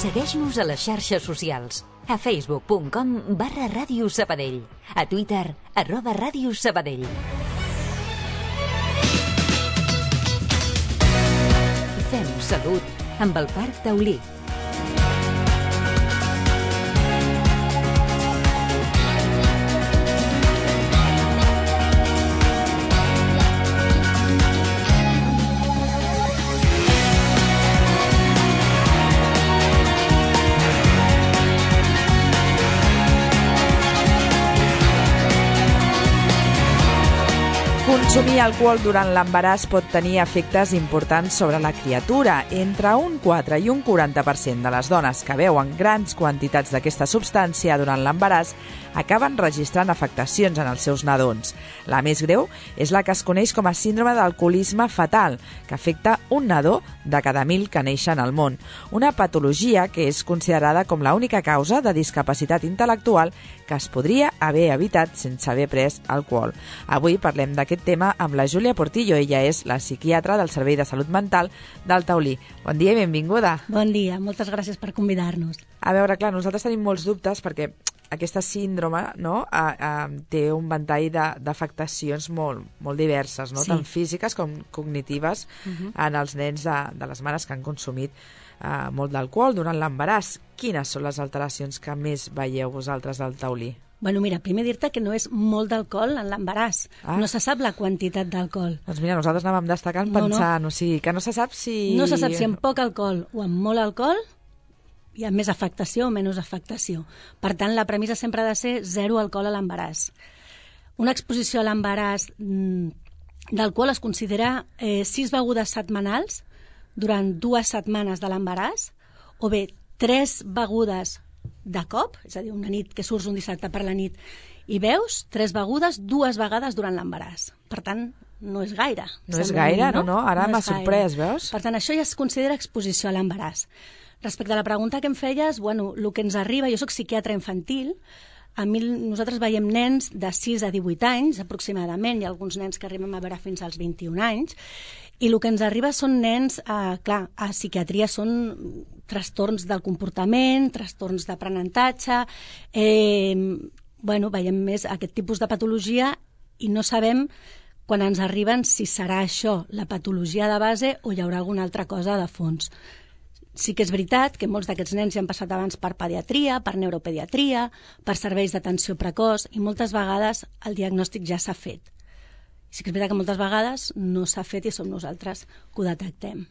Segueix-nos a les xarxes socials. A facebook.com/Ràdio Sabadell. A Twitter, @Ràdio Sabadell. Fem salut amb el Parc Taulí. Consumir alcohol durant l'embaràs pot tenir efectes importants sobre la criatura. Entre un 4 i un 40% de les dones que beuen grans quantitats d'aquesta substància durant l'embaràs acaben registrant afectacions en els seus nadons. La més greu és la que es coneix com a síndrome d'alcoholisme fetal, que afecta un nadó de cada 1.000 que neixen al món. Una patologia que és considerada com l'única causa de discapacitat intel·lectual que es podria haver evitat sense haver pres alcohol. Avui parlem d'aquest tema amb la Júlia Portillo. Ella és la psiquiatra del Servei de Salut Mental del Taulí. Bon dia i benvinguda. Bon dia, moltes gràcies per convidar-nos. A veure, clar, nosaltres tenim molts dubtes perquè aquesta síndrome té un ventall d'afectacions molt diverses, no? Sí. Tant físiques com cognitives en els nens de les mares que han consumit molt d'alcohol durant l'embaràs. Quines són les alteracions que més veieu vosaltres al Taulí? Bueno, mira, primer dir-te que no és molt d'alcohol en l'embaràs. No se sap la quantitat d'alcohol. Doncs mira, nosaltres anàvem destacant pensant, o sigui, que no se sap si... No se sap si amb poc alcohol o amb molt alcohol hi ha més afectació o menys afectació. Per tant, la premissa sempre ha de ser 0 alcohol a l'embaràs. Una exposició a l'embaràs d'alcohol es considera 6 begudes setmanals durant 2 setmanes de l'embaràs, o bé 3 begudes de cop, és a dir, una nit que surts un dissabte per la nit i beus 3 begudes 2 vegades durant l'embaràs. Per tant, no és gaire. No és gaire, no? Ara m'ha sorprès, veus? Per tant, això ja es considera exposició a l'embaràs. Respecte a la pregunta que em feies, bueno, el que ens arriba, jo soc psiquiatra infantil, nosaltres veiem nens de 6 a 18 anys, aproximadament, hi ha alguns nens que arribem a veure fins als 21 anys, i el que ens arriba són nens, clar, a psiquiatria són trastorns del comportament, trastorns d'aprenentatge, veiem més aquest tipus de patologia i no sabem quan ens arriben si serà això la patologia de base o hi haurà alguna altra cosa de fons. Sí que és veritat que molts d'aquests nens ja han passat abans per pediatria, per neuropediatria, per serveis d'atenció precoç i moltes vegades el diagnòstic ja s'ha fet. Sí que és veritat que moltes vegades no s'ha fet i som nosaltres que ho detectem.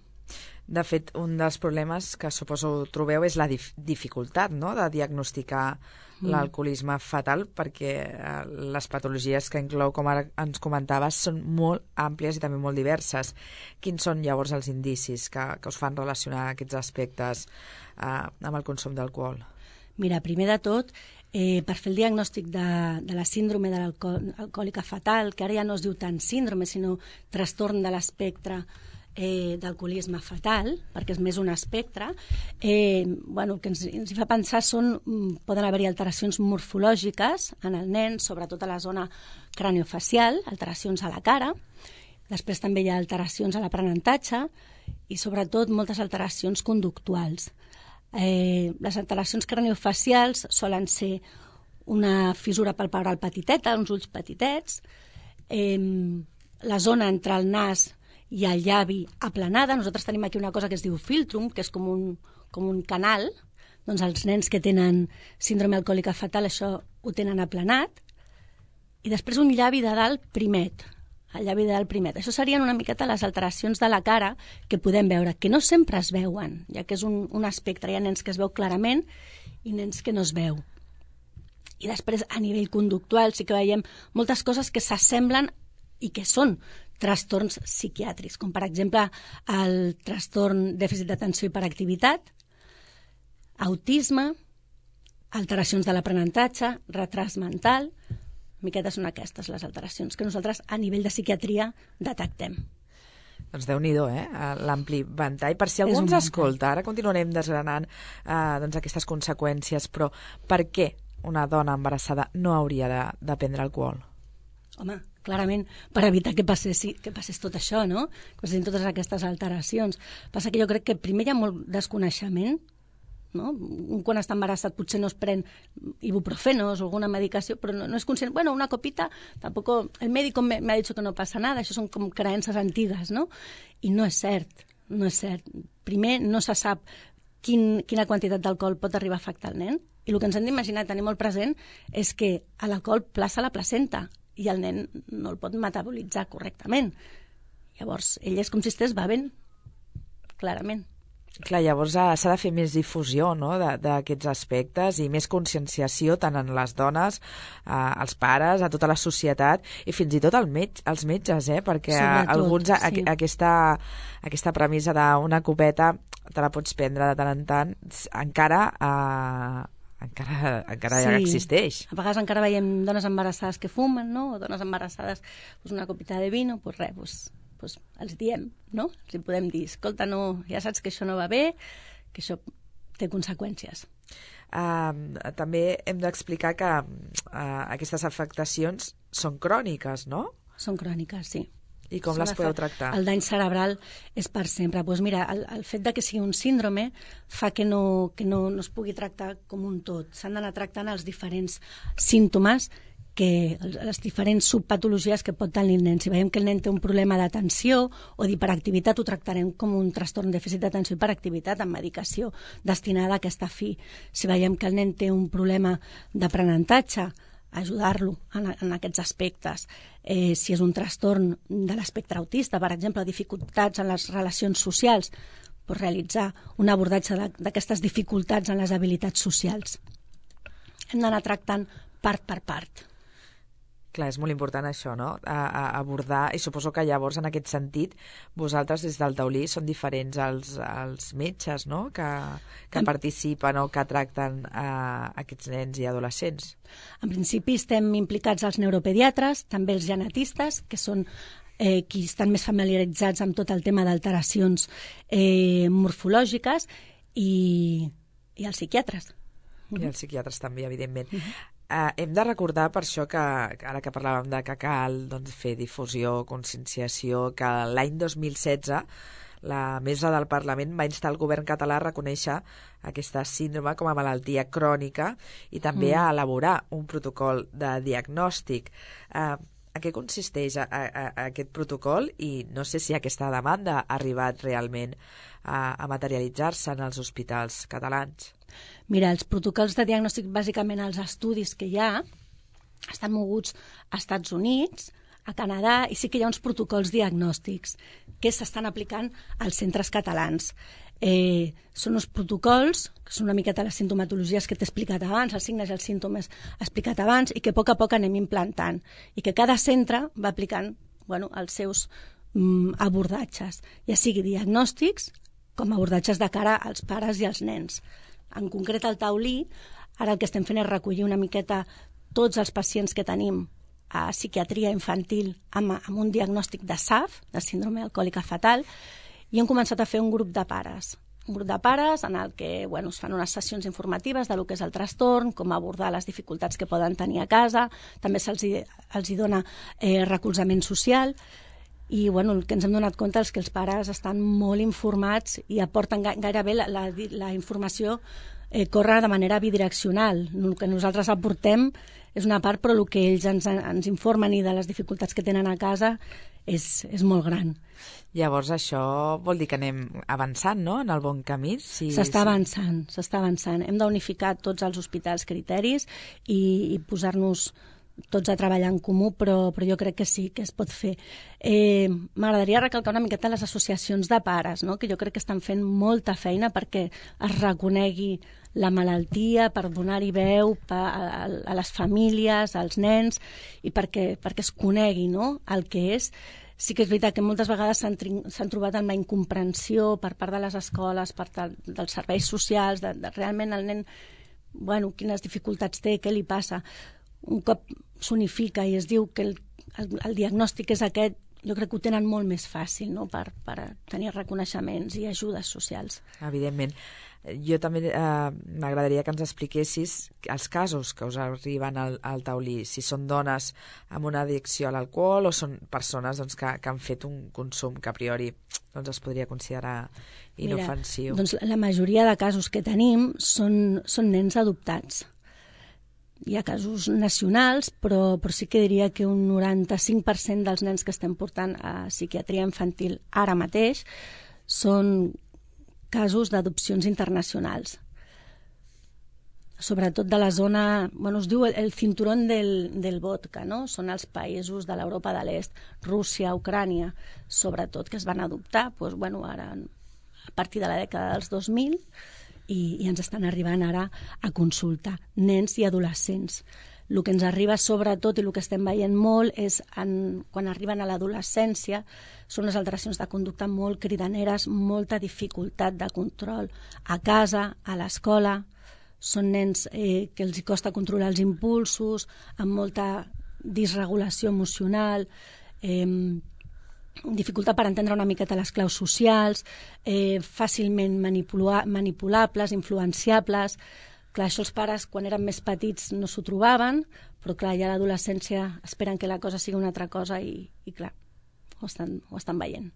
De fet, un dels problemes que suposo trobeu és la dificultat, no?, de diagnosticar l'alcoholisme fetal, perquè les patologies que inclou, com ara ens comentaves, són molt àmplies i també molt diverses. Quins són llavors els indicis que us fan relacionar aquests aspectes amb el consum d'alcohol? Mira, primer de tot, per fer el diagnòstic de la síndrome de l'alcohòlica fetal, que ara ja no es diu tant síndrome, sinó trastorn de l'espectre d'alcoholisme fetal, perquè és més un espectre, el que ens hi fa pensar poden haver-hi alteracions morfològiques en el nen, sobretot a la zona craniofacial, alteracions a la cara, després també hi ha alteracions a l'aprenentatge i sobretot moltes alteracions conductuals. Les alteracions craniofacials solen ser una fissura palpebral petiteta, uns ulls petitets, la zona entre el nas i el llavi aplanada. Nosaltres tenim aquí una cosa que es diu filtrum, que és com un canal. Doncs els nens que tenen síndrome alcohòlica fetal això ho tenen aplanat. I després un llavi de dalt primet. El llavi de dalt primet. Això serien una miqueta les alteracions de la cara que podem veure, que no sempre es veuen, ja que és un espectre. Hi ha nens que es veu clarament i nens que no es veu. I després, a nivell conductual, sí que veiem moltes coses que s'assemblen i que són trastorns psiquiàtrics, com per exemple el trastorn dèficit d'atenció i hiperactivitat, autisme, alteracions de l'aprenentatge, retras mental. Miquetes són aquestes les alteracions que nosaltres a nivell de psiquiatria detectem. Doncs Déu-n'hi-do, l'ampli ventall. Per si algú ens escolta, ara continuarem desgranant aquestes conseqüències, però per què una dona embarassada no hauria de prendre alcohol? Home, clarament, per evitar que passés tot això, no? Que passessin totes aquestes alteracions. Passa que jo crec que primer hi ha molt desconeixement no? Un quan està embarassat potser no es pren ibuprofenos o alguna medicació, però no és conscient. Bueno, una copita, tampoco... El médico me ha dicho que no passa nada, això són com creences antigues, no? I no és cert, no és cert. Primer, no se sap quina quantitat d'alcohol pot arribar a afectar el nen, i el que ens hem d'imaginar, tenir molt present, és que l'alcohol plaça la placenta i el nen no el pot metabolitzar correctament. Llavors, ell és com si estigués bevent, clarament. Clar, llavors s'ha de fer més difusió, no?, d'aquests aspectes i més conscienciació tant en les dones, als pares, a tota la societat i fins i tot als metges, perquè sobretot, alguns sí. Aquesta premissa d'una copeta te la pots prendre de tant en tant encara ja existeix. A vegades encara veiem dones embarassades que fumen, no? O dones embarassades, pues una copita de vino, pues res, pues els diem, no? Els podem dir, escolta, no, ja saps que això no va bé, que això té conseqüències. També hem d'explicar que aquestes afectacions són cròniques, no? Són cròniques, sí. I com les podeu tractar? El dany cerebral és per sempre. Pues mira, el fet de que sigui un síndrome fa que no es pugui tractar com un tot. S'han d'anar tractant els diferents símptomes, les diferents subpatologies que pot tenir el nen. Si veiem que el nen té un problema d'atenció o d'hiperactivitat, ho tractarem com un trastorn dèficit d'atenció i hiperactivitat amb medicació destinada a aquesta fi. Si veiem que el nen té un problema d'aprenentatge, ajudar-lo en aquests aspectes. Si és un trastorn de l'espectre autista, per exemple, dificultats en les relacions socials, doncs realitzar un abordatge d'aquestes dificultats en les habilitats socials. Hem d'anar tractant part per part. Clar, és molt important això, no? Abordar, i suposo que llavors en aquest sentit vosaltres des del taulí són diferents als metges, no? Que participen o que tracten aquests nens i adolescents. En principi estem implicats els neuropediatres, també els genetistes, que són qui estan més familiaritzats amb tot el tema d'alteracions morfològiques, i els psiquiatres. I els psiquiatres també, evidentment. Hem de recordar per això que ara que parlàvem de que cal fer difusió, conscienciació, que l'any 2016 la mesa del Parlament va instar el govern català a reconèixer aquesta síndrome com a malaltia crònica i també a elaborar un protocol de diagnòstic. A què consisteix aquest protocol i no sé si aquesta demanda ha arribat realment a materialitzar-se en els hospitals catalans? Mira, els protocols de diagnòstic, bàsicament els estudis que hi ha, estan moguts als Estats Units, a Canadà, i sí que hi ha uns protocols diagnòstics que s'estan aplicant als centres catalans. Són uns protocols, que són una miqueta les sintomatologies que t'he explicat abans, els signes i els símptomes explicat abans, i que a poc anem implantant, i que cada centre va aplicant els seus abordatges, ja sigui diagnòstics com abordatges de cara als pares i als nens. En concret, al taulí, ara el que estem fent és recollir una miqueta tots els pacients que tenim a psiquiatria infantil amb un diagnòstic de SAF, de síndrome alcohòlica fatal, i hem començat a fer un grup de pares. Un grup de pares en el que es fan unes sessions informatives de lo que és el trastorn, com abordar les dificultats que poden tenir a casa, també els dona recolzament social, i el que ens hem donat compte és que els pares estan molt informats i aporten gairebé la informació, corre de manera bidireccional. El que nosaltres aportem és una part, però el que ells ens informen i de les dificultats que tenen a casa és molt gran. Llavors això vol dir que anem avançant, no?, en el bon camí? S'està avançant. Hem d'unificar tots els hospitals criteris i posar-nos tots a treballar en comú, però jo crec que sí, que es pot fer. M'agradaria recalcar una miqueta les associacions de pares, no?, que jo crec que estan fent molta feina perquè es reconegui la malaltia, per donar-hi veu a les famílies, als nens, i perquè es conegui, no?, el que és. Sí que és veritat que moltes vegades s'han trobat amb la incomprensió per part de les escoles, per part dels serveis socials, de realment el nen, quines dificultats té, què li passa. Un cop s'unifica i es diu que el diagnòstic és aquest, jo crec que ho tenen molt més fàcil, no?, per tenir reconeixements i ajudes socials. Evidentment. Jo també m'agradaria que ens expliquessis els casos que us arriben al taulí, si són dones amb una addicció a l'alcohol o són persones doncs, que han fet un consum que a priori doncs, es podria considerar inofensiu. Mira, doncs la majoria de casos que tenim són nens adoptats. Hi ha casos nacionals, però sí que diria que un 95% dels nens que estem portant a psiquiatria infantil ara mateix són casos d'adopcions internacionals. Sobretot de la zona, es diu el cinturón del vodka, no? Són els països de l'Europa de l'Est, Rússia, Ucrània, sobretot, que es van adoptar, ara a partir de la dècada dels 2000, i ens estan arribant ara a consultar nens i adolescents. El que ens arriba sobretot i el que estem veient molt és quan arriben a l'adolescència són les alteracions de conducta molt cridaneres, molta dificultat de control a casa, a l'escola. Són nens que els costa controlar els impulsos, amb molta disregulació emocional, dificultat per entendre una miqueta les claus socials, fàcilment manipulables, influenciables. Clar, això els pares, quan eren més petits, no s'ho trobaven, però clar, ja a l'adolescència esperen que la cosa sigui una altra cosa i clar, ho estan veient.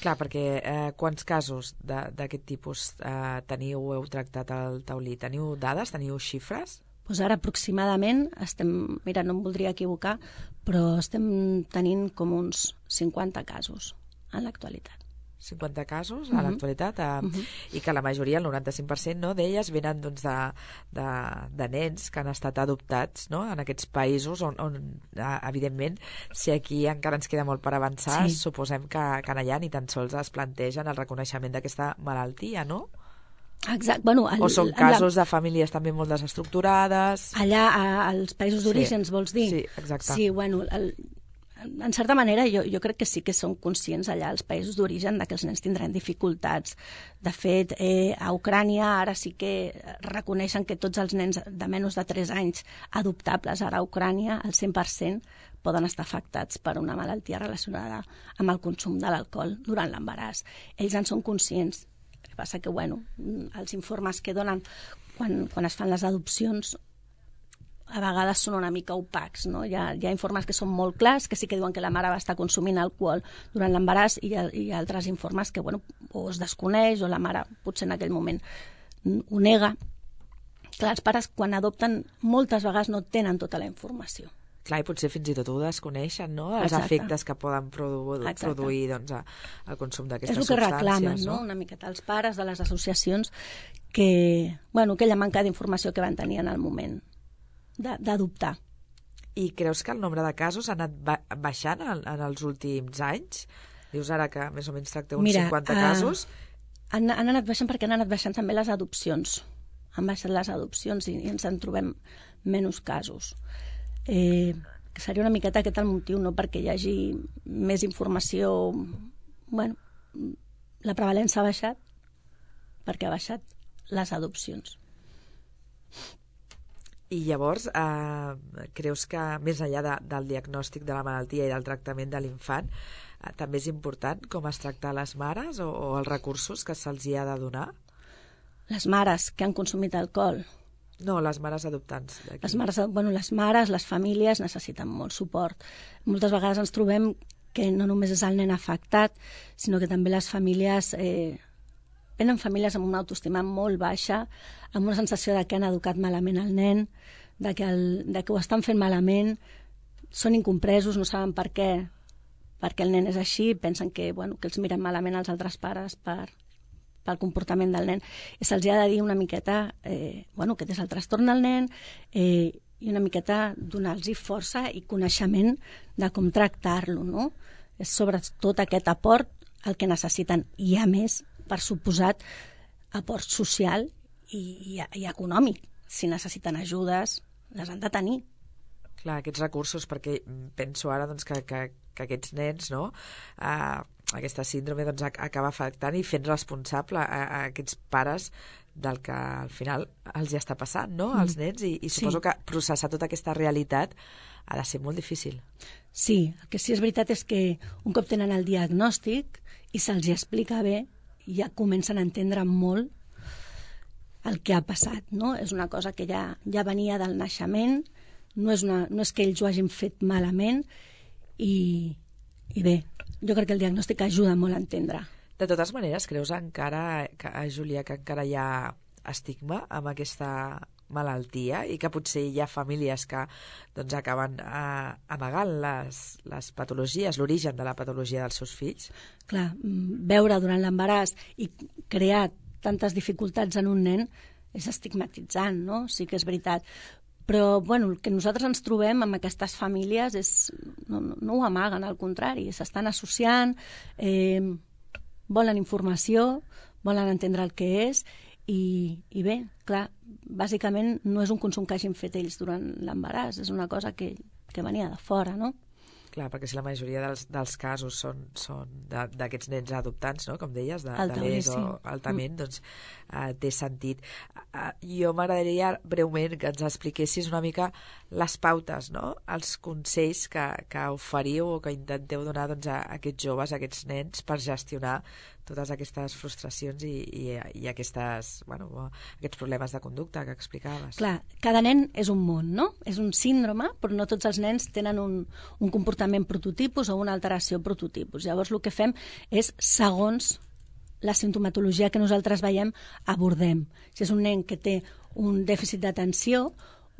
Clar, perquè quants casos d'aquest tipus heu tractat al taulí? Teniu dades, teniu xifres? Doncs ara aproximadament mira, no em voldria equivocar, però estem tenint com uns 50 casos en l'actualitat. 50 casos a l'actualitat, i que la majoria, el 95%, no, d'elles venen doncs, de nens que han estat adoptats, no, en aquests països on evidentment, si aquí encara ens queda molt per avançar, sí, suposem que allà ni tan sols es plantegen el reconeixement d'aquesta malaltia, no? Exacte. O són casos de famílies també molt desestructurades. Allà, als països d'orígens, vols dir? Sí, exacte. Sí, en certa manera jo crec que sí que són conscients allà als països d'origen que els nens tindran dificultats. De fet, a Ucrània ara sí que reconeixen que tots els nens de menys de 3 anys adoptables ara a Ucrània, al 100%, poden estar afectats per una malaltia relacionada amb el consum de l'alcohol durant l'embaràs. Ells en són conscients. El que passa que, els informes que donen quan es fan les adopcions a vegades són una mica opacs, no? Hi ha informes que són molt clars, que sí que diuen que la mare va estar consumint alcohol durant l'embaràs i altres informes que, o es desconeix o la mare potser en aquell moment ho nega. Clar, els pares quan adopten moltes vegades no tenen tota la informació. Clar, i potser fins i tot ho desconeixen, no? Els efectes que poden produir doncs, el consum d'aquestes substàncies. És el que reclamen, no? Una miqueta els pares de les associacions que, aquella manca d'informació que van tenir en el moment d'adoptar. I creus que el nombre de casos ha anat baixant en els últims anys? Dius ara que més o menys tracteu uns 50 casos. Han anat baixant perquè han anat baixant també les adopcions. Han baixat les adopcions i ens en trobem menys casos. Que seria una miqueta aquest el motiu, no? Perquè hi hagi més informació. La prevalència ha baixat perquè ha baixat les adopcions. I llavors, creus que més enllà del diagnòstic de la malaltia i del tractament de l'infant, també és important com es tracta a les mares o els recursos que se'ls hi ha de donar? Les mares que han consumit alcohol? No, les mares adoptants. Les mares, les famílies necessiten molt suport. Moltes vegades ens trobem que no només és el nen afectat, sinó que també les famílies venen famílies amb una autoestima molt baixa, amb una sensació de que han educat malament el nen, de que ho estan fent malament, són incompresos, no saben per què el nen és així, pensen que els miren malament els altres pares pel comportament del nen. I se'ls ha de dir una miqueta que és el trastorn del nen i una miqueta donar-los força i coneixement de com tractar-lo, no? És sobretot aquest aport el que necessiten. I a més, per suposat, aport social i econòmic. Si necessiten ajudes, les han de tenir. Clar, aquests recursos, perquè penso ara doncs, que aquests nens, no? Aquesta síndrome doncs, acaba afectant i fent responsable a aquests pares del que al final els hi està passant, no? Als nens, i suposo que processar tota aquesta realitat ha de ser molt difícil. Sí, el que sí és veritat és que un cop tenen el diagnòstic i se'ls explica bé, ja comencen a entendre molt el que ha passat, no? És una cosa que ja venia del naixement, no és que ells ho hagin fet malament, i bé, jo crec que el diagnòstic ajuda molt a entendre. De totes maneres, creus encara, Júlia, que encara hi ha estigma amb aquesta malaltia i que potser hi ha famílies que doncs, acaben amagant les patologies, l'origen de la patologia dels seus fills? Clar, veure durant l'embaràs i crear tantes dificultats en un nen és estigmatitzant, no? Sí que és veritat. Però bueno, el que nosaltres ens trobem amb aquestes famílies no ho amaguen, al contrari, s'estan associant, volen informació, volen entendre el que és, i bé, clar, bàsicament no és un consum que hagin fet ells durant l'embaràs, és una cosa que venia de fora, no? Clar, perquè si la majoria dels casos són d'aquests nens adoptats, no? Com deies, de l'ES o altament, doncs té sentit. Jo m'agradaria breument que ens expliquessis una mica les pautes, no? Els consells que oferiu o que intenteu donar doncs, a aquests joves, a aquests nens, per gestionar totes aquestes frustracions i aquests problemes de conducta que explicaves. Clar, cada nen és un món, no? És un síndrome, però no tots els nens tenen un comportament prototipus o una alteració prototipus. Llavors el que fem és, segons la simptomatologia que nosaltres veiem, abordem. Si és un nen que té un dèficit d'atenció,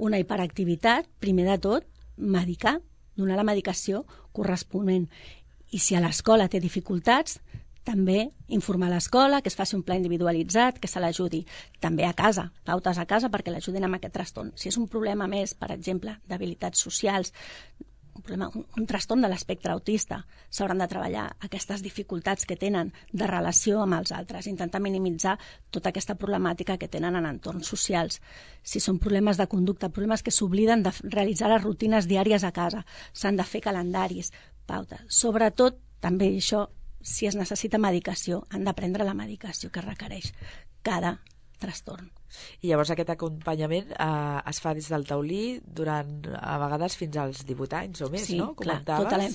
una hiperactivitat, primer de tot, medicar, donar la medicació corresponent. I si a l'escola té dificultats, també informar l'escola, que es faci un pla individualitzat, que se l'ajudi. També a casa, pautes a casa perquè l'ajudin amb aquest trastorn. Si és un problema més, per exemple, d'habilitats socials, un trastorn de l'espectre autista, s'hauran de treballar aquestes dificultats que tenen de relació amb els altres, intentar minimitzar tota aquesta problemàtica que tenen en entorns socials. Si són problemes de conducta, problemes que s'obliden de realitzar les rutines diàries a casa, s'han de fer calendaris, pautes. Sobretot, també això, si es necessita medicació, han de prendre la medicació que requereix cada trastorn. I llavors aquest acompanyament es fa des del taulí durant, a vegades, fins als 18 anys o més, sí, no? Clar, tota la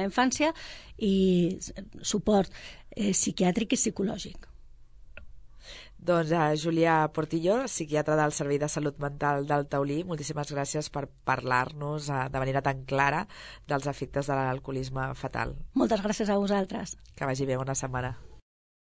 infància i suport psiquiàtric i psicològic. Doncs Júlia Portillo, psiquiatra del Servei de Salut Mental del Taulí, moltíssimes gràcies per parlar-nos de manera tan clara dels efectes de l'alcoholisme fatal. Moltes gràcies a vosaltres. Que vagi bé, bona setmana.